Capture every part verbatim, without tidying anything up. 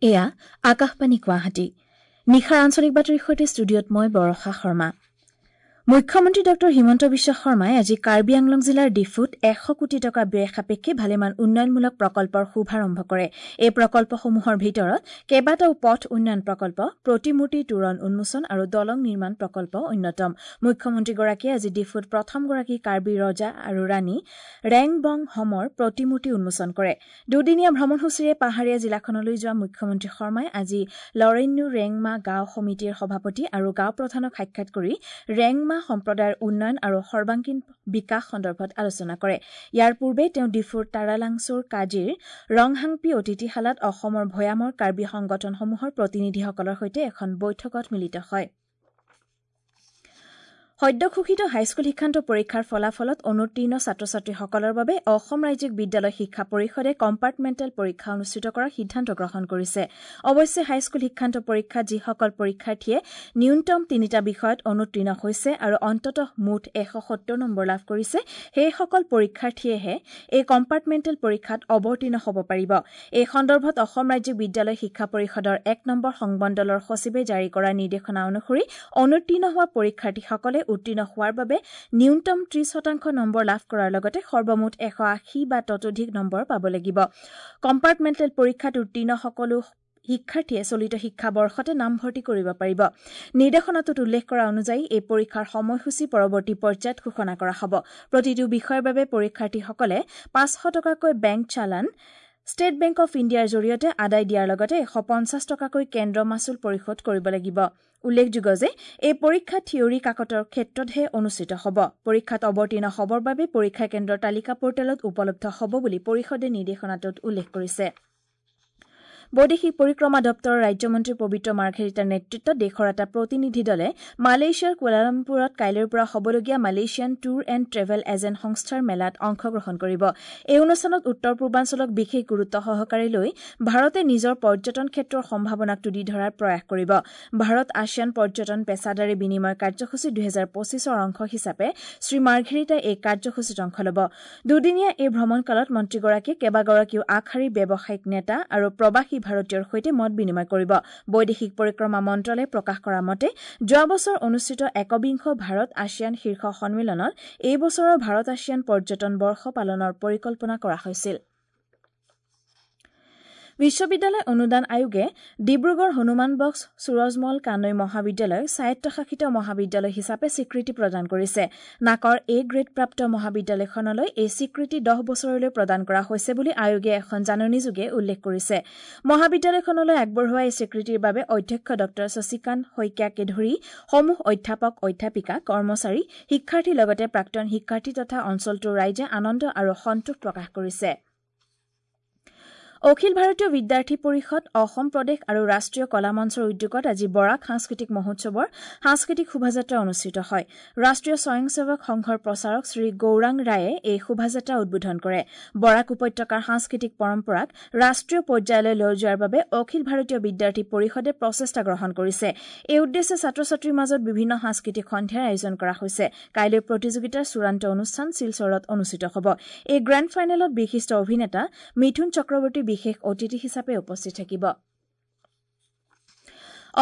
এয়া আকাশবাণী গুৱাহাটী। নিশাৰ আঞ্চলিক বাতৰিৰ সৈতে ষ্টুডিঅ'ত মই বৰষা শৰ্মা। মুখ্যমন্ত্ৰী ডঃ হিমন্ত বিশ্ব শৰ্মাই আজি কাৰ্বি আংলং জিলাৰ ডিফুত এশ কোটি টকা ব্যয় সাপেক্ষে ভালেমান উন্নয়নমূলক প্ৰকল্পৰ শুভাৰম্ভ কৰে। এই প্ৰকল্পসমূহৰ ভিতৰত কেইবাটাও পথ উন্নয়ন প্ৰকল্প, প্ৰতিমূৰ্তি তোৰণ উন্মোচন আৰু দলং নিৰ্মাণ প্ৰকল্প অন্যতম। মুখ্যমন্ত্ৰীগৰাকীয়ে আজি ডিফুত প্ৰথমগৰাকী কাৰ্বি ৰজা আৰু ৰাণী ৰেংবং হমৰ প্ৰতিমূৰ্তি উন্মোচন কৰে। দুদিনীয়া ভ্ৰমণসূচীৰে পাহাৰীয়া জিলাখনলৈ যোৱা মুখ্যমন্ত্ৰী শৰ্মাই আজি লৰেন্যু ৰেংমা গাঁও সমিতিৰ সভাপতি আৰু গাঁও প্ৰধানক সাক্ষাৎ কৰি ৰেংমা সম্প্ৰদায়ৰ উন্নয়ন আৰু সৰ্বাংগীন বিকাশ সন্দৰ্ভত আলোচনা কৰে। ইয়াৰ পূৰ্বে তেওঁ ডিফুৰ তাৰালাংচুৰ কাজিৰ ৰংহাংপি অতিথিশালাত অসমৰ ভৈয়ামৰ কাৰ্বি সংগঠনসমূহৰ প্ৰতিনিধিসকলৰ সৈতে এখন বৈঠকত মিলিত হয়। সদ্যঘোষিত হাইস্কুল শিক্ষান্ত পৰীক্ষাৰ ফলাফলত অনুত্তীৰ্ণ ছাত্ৰ ছাত্ৰীসকলৰ বাবে অসম ৰাজ্যিক বিদ্যালয় শিক্ষা পৰিষদে কম্পাৰ্টমেণ্টেল পৰীক্ষা অনুষ্ঠিত কৰাৰ সিদ্ধান্ত গ্ৰহণ কৰিছে। অৱশ্যে হাইস্কুল শিক্ষান্ত পৰীক্ষাত যিসকল পৰীক্ষাৰ্থীয়ে ন্যূনতম তিনিটা বিষয়ত অনুত্তীৰ্ণ হৈছে আৰু অন্ততঃ মুঠ এশ সত্তৰ নম্বৰ লাভ কৰিছে, সেইসকল পৰীক্ষাৰ্থীয়েহে এই কম্পাৰ্টমেণ্টেল পৰীক্ষাত অৱতীৰ্ণ হ'ব পাৰিব। এই সন্দৰ্ভত অসম ৰাজ্যিক বিদ্যালয় শিক্ষা পৰিষদৰ এক নম্বৰ সংমণ্ডলৰ সচিবে জাৰি কৰা নিৰ্দেশনা অনুসৰি অনুত্তীৰ্ণ হোৱা পৰীক্ষাৰ্থীসকলে উত্তীৰ্ণ হোৱাৰ বাবে ন্যূনতম ত্ৰিশ শতাংশ নম্বৰ লাভ কৰাৰ লগতে সৰ্বমুঠ এশ আশী বা ততোধিক নম্বৰ পাব লাগিব। কম্পাৰ্টমেণ্টেল পৰীক্ষাত উত্তীৰ্ণ সকলো শিক্ষাৰ্থীয়ে চলিত শিক্ষাবৰ্ষতে নামভৰ্তি কৰিব পাৰিব। নিৰ্দেশনাটোত উল্লেখ কৰা অনুযায়ী এই পৰীক্ষাৰ সময়সূচী পৰৱৰ্তী পৰ্যায়ত ঘোষণা কৰা হ'ব। প্ৰতিটো বিষয়ৰ বাবে পৰীক্ষাৰ্থীসকলে পাঁচশ টকাকৈ bank challan state bank of ইণ্ডিয়াৰ জৰিয়তে আদায় দিয়াৰ লগতে এশ পঞ্চাছ টকাকৈ কেন্দ্ৰ মাচুল পৰিশোধ কৰিব লাগিব। উল্লেখযোগ্য যে এই পৰীক্ষা থিয়ৰী কাকতৰ ক্ষেত্ৰতহে অনুষ্ঠিত হ'ব। পৰীক্ষাত অৱতীৰ্ণ হ'বৰ বাবে পৰীক্ষা কেন্দ্ৰৰ তালিকা পৰ্টেলত উপলব্ধ হ'ব বুলি পৰিষদে নিৰ্দেশনাটোত উল্লেখ কৰিছে। বৈদেশিক পৰিক্ৰমা দপ্তৰৰ ৰাজ্যমন্ত্ৰী পবিত্ৰ মাৰ্ঘেৰিটাৰ নেতৃত্বত দেশৰ এটা প্ৰতিনিধি দলে মালয়েছিয়াৰ কুৱালালামপুৰত কাইলৈৰ পৰা হ'বলগীয়া Malaysian tour and travel agent সংস্থাৰ মেলাত অংশগ্ৰহণ কৰিব। এই অনুষ্ঠানত উত্তৰ পূৰ্বাঞ্চলক বিশেষ গুৰুত্ব সহকাৰে লৈ ভাৰতে নিজৰ পৰ্যটন ক্ষেত্ৰৰ সম্ভাৱনাক তুলি ধৰাৰ প্ৰয়াস কৰিব। ভাৰত আছিয়ান পৰ্যটন পেছাদাৰী বিনিময় কাৰ্যসূচী দুহেজাৰ পঁচিছৰ অংশ হিচাপে শ্ৰী মাৰ্ঘেৰিটাই এই কাৰ্যসূচীত অংশ ল'ব। দুদিনীয়া এই ভ্ৰমণকালত মন্ত্ৰীগৰাকীয়ে কেইবাগৰাকীও আগশাৰীৰ ব্যৱসায়িক নেতা আৰু প্ৰৱাসী ভাৰতীয়ৰ সৈতে মত বিনিময় কৰিব। বৈদেশিক পৰিক্ৰমা মন্ত্ৰালয়ে প্ৰকাশ কৰা মতে যোৱা বছৰ অনুষ্ঠিত একবিংশ ভাৰত আছিয়ান শীৰ্ষ সন্মিলনত এই বছৰৰ ভাৰত আছিয়ান পৰ্যটন বৰ্ষ পালনৰ পৰিকল্পনা কৰা হৈছিল। বিশ্ববিদ্যালয় অনুদান আয়োগে ডিব্ৰুগড় হনুমান বক্স সুৰজমল কানৈ মহাবিদ্যালয়ক স্বায়ত্তশাসিত মহাবিদ্যালয় হিচাপে স্বীকৃতি প্ৰদান কৰিছে। নাকৰ এ গ্ৰেডপ্ৰাপ্ত মহাবিদ্যালয়খনলৈ এই স্বীকৃতি দহ বছৰলৈ প্ৰদান কৰা হৈছে বুলি আয়োগে এখন জাননীযোগে উল্লেখ কৰিছে। মহাবিদ্যালয়খনলৈ আগবঢ়োৱা এই স্বীকৃতিৰ বাবে অধ্যক্ষ ডঃ শশীকান্ত শইকীয়াকে ধৰি সমূহ অধ্যাপক, অধ্যাপিকা, কৰ্মচাৰী, শিক্ষাৰ্থীৰ লগতে প্ৰাক্তন শিক্ষাৰ্থী তথা অঞ্চলটোৰ ৰাইজে আনন্দ আৰু সন্তোষ প্ৰকাশ কৰিছে। অখিল ভাৰতীয় বিদ্যাৰ্থী পৰিষদ, অসম প্ৰদেশ আৰু ৰাষ্ট্ৰীয় কলা মঞ্চৰ উদ্যোগত আজি বৰাক সাংস্কৃতিক মহোৎসৱৰ সাংস্কৃতিক শোভাযাত্ৰা অনুষ্ঠিত হয়। ৰাষ্ট্ৰীয় স্বয়ংসেৱক সংঘৰ প্ৰচাৰক শ্ৰী গৌৰাং ৰায়ে এই শোভাযাত্ৰা উদ্বোধন কৰে। বৰাক উপত্যকাৰ সাংস্কৃতিক পৰম্পৰাক ৰাষ্ট্ৰীয় পৰ্যায়লৈ লৈ যোৱাৰ বাবে অখিল ভাৰতীয় বিদ্যাৰ্থী পৰিষদে প্ৰচেষ্টা গ্ৰহণ কৰিছে। এই উদ্দেশ্যে ছাত্ৰ ছাত্ৰীৰ মাজত বিভিন্ন সাংস্কৃতিক সন্ধিয়াৰ আয়োজন কৰা হৈছে। কাইলৈ প্ৰতিযোগিতাৰ চূড়ান্ত অনুষ্ঠান শিলচৰত অনুষ্ঠিত হ'ব। এই গ্ৰেণ্ড ফাইনেলত বিশিষ্ট অভিনেতা মিথুন চক্ৰৱৰ্তী বিশেষ অতিথি হিচাপে উপস্থিত থাকিব।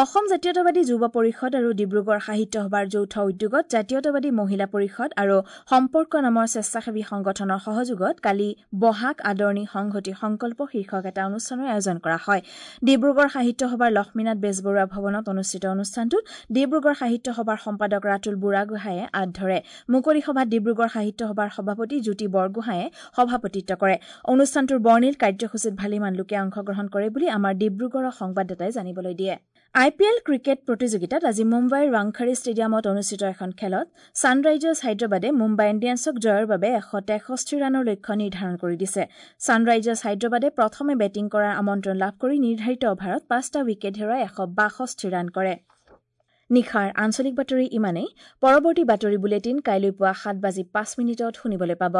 অসম জাতীয়তাবাদী যুৱ পৰিষদ আৰু ডিব্ৰুগড় সাহিত্য সভাৰ যৌথ উদ্যোগত জাতীয়তাবাদী মহিলা পৰিষদ আৰু সম্পৰ্ক নামৰ স্বেচ্ছাসেৱী সংগঠনৰ সহযোগত কালি বহাগ আদৰণি সংহতি সংকল্প শীৰ্ষক এটা অনুষ্ঠানৰ আয়োজন কৰা হয়। ডিব্ৰুগড় সাহিত্য সভাৰ লক্ষ্মীনাথ বেজবৰুৱা ভৱনত অনুষ্ঠিত অনুষ্ঠানটোত ডিব্ৰুগড় সাহিত্য সভাৰ সম্পাদক ৰাতুল বুঢ়াগোহাঁয়ে আঁত ধৰে। মুকলি সভাত ডিব্ৰুগড় সাহিত্য সভাৰ সভাপতি জ্যোতি বৰগোহাঁয়ে সভাপতিত্ব কৰে। অনুষ্ঠানটোৰ বৰ্ণিল কাৰ্যসূচীত ভালেমান লোকে অংশগ্ৰহণ কৰে বুলি আমাৰ ডিব্ৰুগড়ৰ সংবাদদাতাই জানিবলৈ দিয়ে। আই পি এল ক্ৰিকেট প্ৰতিযোগিতাত আজি মুম্বাইৰ ৱাংখাৰী ষ্টেডিয়ামত অনুষ্ঠিত এখন খেলত ছানৰাইজাৰ্ছ হায়দৰাবাদে মুম্বাই ইণ্ডিয়ানছক জয়ৰ বাবে এশ তেষষ্ঠি ৰানৰ লক্ষ্য নিৰ্ধাৰণ কৰি দিছে। ছানৰাইজাৰ্ছ হায়দৰাবাদে প্ৰথমে বেটিং কৰাৰ আমন্ত্ৰণ লাভ কৰি নিৰ্ধাৰিত অভাৰত পাঁচটা উইকেট হেৰুৱাই এশ বাষষ্ঠি ৰান কৰে। নিশাৰ আঞ্চলিক বাতৰি ইমানেই। পৰৱৰ্তী বাতৰি বুলেটিন কাইলৈ পুৱা সাত বাজি পাঁচ মিনিটত শুনিবলৈ পাব।